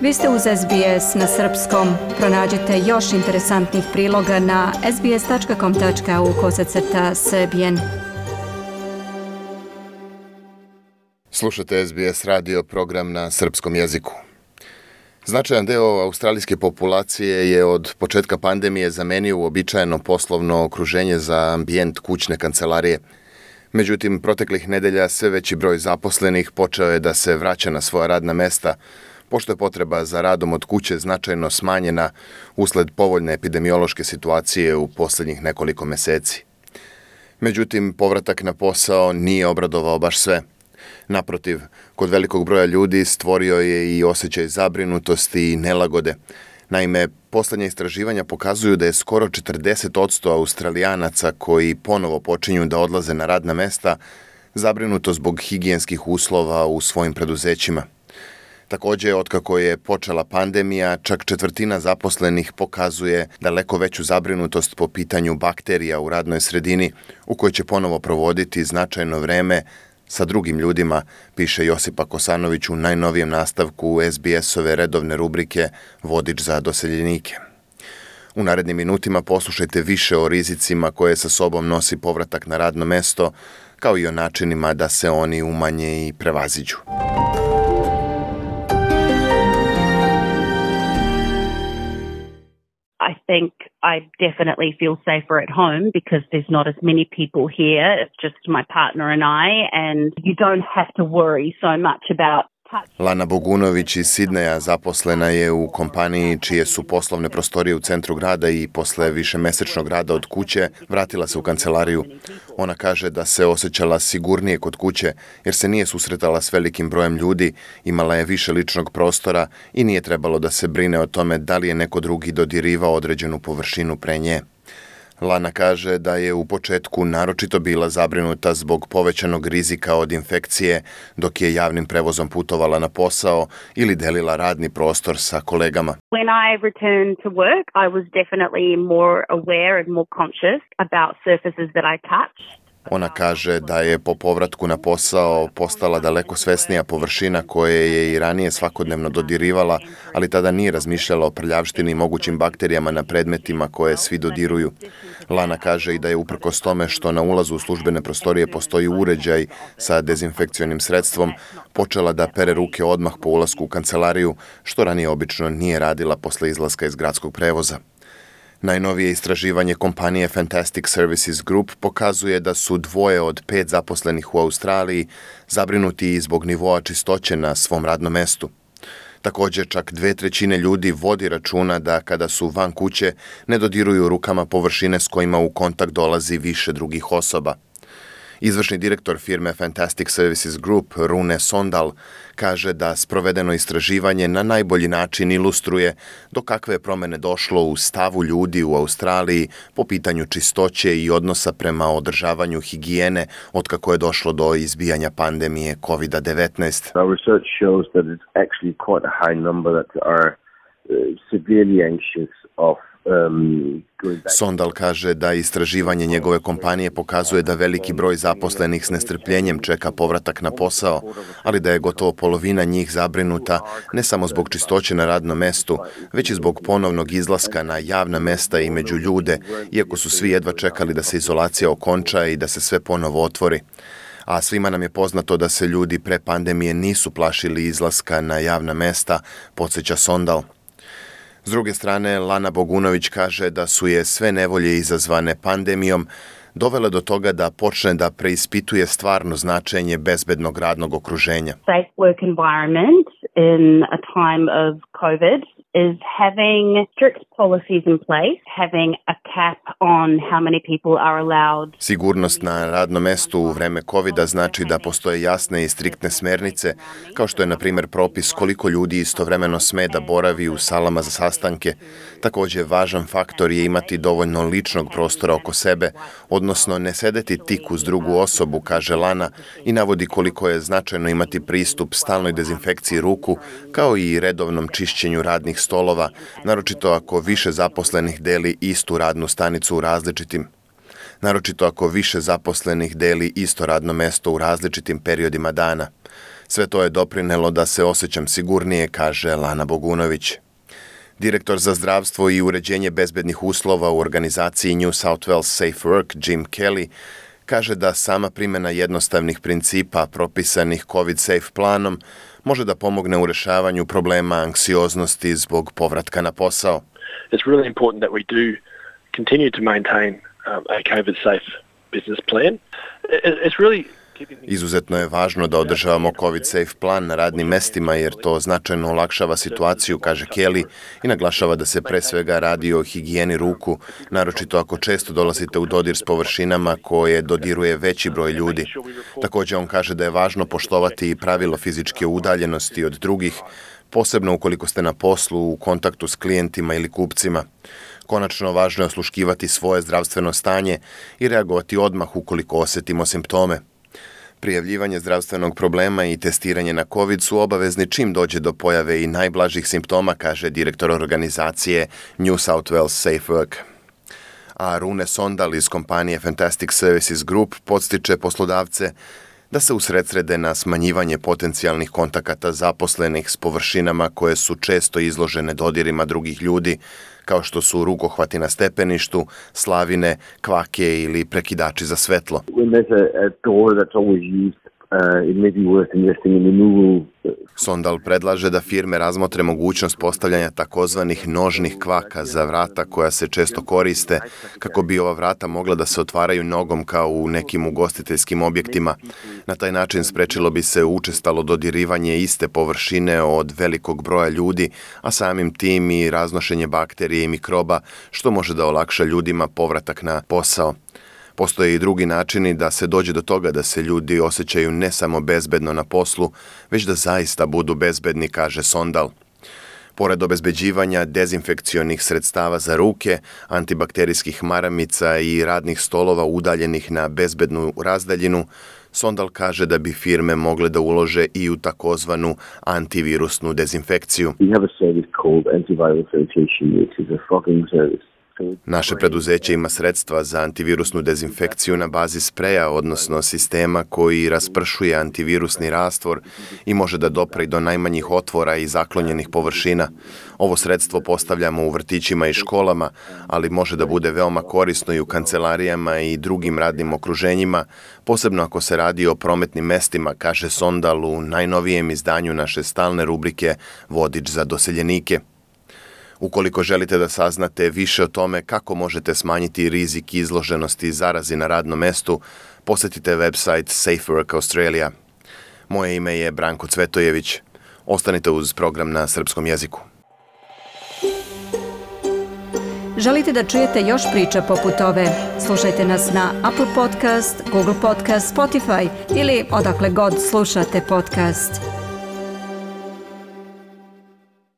Vi ste uz SBS na srpskom. Pronađite još interesantnih priloga na sbs.com.au/srbijen. Slušate SBS radio program na srpskom jeziku. Značajan deo australijske populacije je od početka pandemije zamenio uobičajeno poslovno okruženje za ambijent kućne kancelarije. Međutim, proteklih nedelja sve veći broj zaposlenih počeo je da se vraća na svoja radna mesta, pošto je potreba za radom od kuće značajno smanjena usled povoljne epidemiološke situacije u posljednjih nekoliko meseci. Međutim, povratak na posao nije obradovao baš sve. Naprotiv, kod velikog broja ljudi stvorio je i osjećaj zabrinutosti i nelagode. Naime, posljednja istraživanja pokazuju da je skoro 40% Australijanaca koji ponovo počinju da odlaze na radna mesta zabrinuto zbog higijenskih uslova u svojim preduzećima. Također, otkako je počela pandemija, čak četvrtina zaposlenih pokazuje daleko veću zabrinutost po pitanju bakterija u radnoj sredini u kojoj će ponovo provoditi značajno vreme sa drugim ljudima, piše Josipa Kosanović u najnovijem nastavku SBS-ove redovne rubrike Vodič za doseljenike. U narednim minutima poslušajte više o rizicima koje sa sobom nosi povratak na radno mesto, kao i o načinima da se oni umanje i prevaziđu. I think I definitely feel safer at home because there's not as many people here. It's just my partner and I, and you don't have to worry so much about. Lana Bogunović iz Sidneja zaposlena je u kompaniji čije su poslovne prostorije u centru grada i posle višemesečnog rada od kuće vratila se u kancelariju. Ona kaže da se osjećala sigurnije kod kuće jer se nije susretala s velikim brojem ljudi, imala je više ličnog prostora i nije trebalo da se brine o tome da li je neko drugi dodirivao određenu površinu pre nje. Lana kaže da je u početku naročito bila zabrinuta zbog povećanog rizika od infekcije dok je javnim prevozom putovala na posao ili delila radni prostor sa kolegama. When I returned to work, I was definitely more aware and more conscious about surfaces that I touch. Ona kaže da je po povratku na posao postala daleko svesnija površina koje je i ranije svakodnevno dodirivala, ali tada nije razmišljala o prljavštini i mogućim bakterijama na predmetima koje svi dodiruju. Lana kaže i da je uprkos tome što na ulazu u službene prostorije postoji uređaj sa dezinfekcionim sredstvom, počela da pere ruke odmah po ulasku u kancelariju, što ranije obično nije radila posle izlaska iz gradskog prevoza. Najnovije istraživanje kompanije Fantastic Services Group pokazuje da su 2 od 5 zaposlenih u Australiji zabrinuti i zbog nivoa čistoće na svom radnom mestu. Također, čak 2/3 ljudi vodi računa da kada su van kuće ne dodiruju rukama površine s kojima u kontakt dolazi više drugih osoba. Izvršni direktor firme Fantastic Services Group, Rune Sondal, kaže da sprovedeno istraživanje na najbolji način ilustruje do kakve je promjene došlo u stavu ljudi u Australiji po pitanju čistoće i odnosa prema održavanju higijene otkako je došlo do izbijanja pandemije COVID-19. Our research shows that it's actually quite a high number that are severely anxious of Sondal kaže da istraživanje njegove kompanije pokazuje da veliki broj zaposlenih s nestrpljenjem čeka povratak na posao, ali da je gotovo polovina njih zabrinuta ne samo zbog čistoće na radnom mestu, već i zbog ponovnog izlaska na javna mesta i među ljude, iako su svi jedva čekali da se izolacija okonča i da se sve ponovo otvori. A svima nam je poznato da se ljudi pre pandemije nisu plašili izlaska na javna mesta, podsjeća Sondal. S druge strane, Lana Bogunović kaže da su je sve nevolje izazvane pandemijom dovele do toga da počne da preispituje stvarno značenje bezbednog radnog okruženja. Safe work environment in a time of COVID is having strict policies in place, having a cap on how many people are allowed. Sigurnost na radnom mestu u vreme COVID-a znači da postoje jasne i striktne smernice, kao što je na primjer propis koliko ljudi istovremeno sme da boravi u salama za sastanke. Također, važan faktor je imati dovoljno ličnog prostora oko sebe, odnosno ne sedeti tik uz drugu osobu, kaže Lana, i navodi koliko je značajno imati pristup stalnoj dezinfekciji ruku, kao i redovnom čišćenju radnih stolova, naročito ako više zaposlenih deli istu radnu stanicu u naročito ako više zaposlenih deli isto radno mesto u različitim periodima dana. Sve to je doprinelo da se osjećam sigurnije, kaže Lana Bogunović. Direktor za zdravstvo i uređenje bezbednih uslova u organizaciji New South Wales Safe Work, Jim Kelly, kaže da sama primjena jednostavnih principa propisanih COVID safe planom može da pomogne u rešavanju problema anksioznosti zbog povratka na posao. It's really important that we do continue to maintain a COVID safe business plan. It's really Izuzetno je važno da održavamo COVID safe plan na radnim mestima jer to značajno olakšava situaciju, kaže Kelly, i naglašava da se pre svega radi o higijeni ruku, naročito ako često dolazite u dodir s površinama koje dodiruje veći broj ljudi. Također on kaže da je važno poštovati i pravilo fizičke udaljenosti od drugih, posebno ukoliko ste na poslu u kontaktu s klijentima ili kupcima. Konačno, važno je osluškivati svoje zdravstveno stanje i reagovati odmah ukoliko osjetimo simptome. Prijavljivanje zdravstvenog problema i testiranje na COVID su obavezni čim dođe do pojave i najblažih simptoma, kaže direktor organizacije New South Wales Safe Work. A Rune Sondal iz kompanije Fantastic Services Group podstiče poslodavce da se usredsrede na smanjivanje potencijalnih kontakata zaposlenih s površinama koje su često izložene dodirima drugih ljudi, kao što su rukohvati na stepeništu, slavine, kvake ili prekidači za svetlo. Sondal predlaže da firme razmotre mogućnost postavljanja takozvanih nožnih kvaka za vrata koja se često koriste, kako bi ova vrata mogla da se otvaraju nogom kao u nekim ugostiteljskim objektima. Na taj način sprečilo bi se učestalo dodirivanje iste površine od velikog broja ljudi, a samim tim i raznošenje bakterije i mikroba, što može da olakša ljudima povratak na posao. Postoje i drugi načini da se dođe do toga da se ljudi osjećaju ne samo bezbedno na poslu, već da zaista budu bezbedni, kaže Sondal. Pored obezbeđivanja dezinfekcionih sredstava za ruke, antibakterijskih maramica i radnih stolova udaljenih na bezbednu razdaljinu, Sondal kaže da bi firme mogle da ulože i u takozvanu antivirusnu dezinfekciju. Naše preduzeće ima sredstva za antivirusnu dezinfekciju na bazi spreja, odnosno sistema koji raspršuje antivirusni rastvor i može da dopre do najmanjih otvora i zaklonjenih površina. Ovo sredstvo postavljamo u vrtićima i školama, ali može da bude veoma korisno i u kancelarijama i drugim radnim okruženjima, posebno ako se radi o prometnim mestima, kaže Sondal u najnovijem izdanju naše stalne rubrike Vodič za doseljenike. Ukoliko želite da saznate više o tome kako možete smanjiti rizik izloženosti zarazi na radnom mestu, posjetite website Safe Work Australia. Moje ime je Branko Cvetojević. Ostanite uz program na srpskom jeziku. Želite da čujete još priča poput ove? Slušajte nas na Apple Podcast, Google Podcast, Spotify ili odakle god slušate podcast.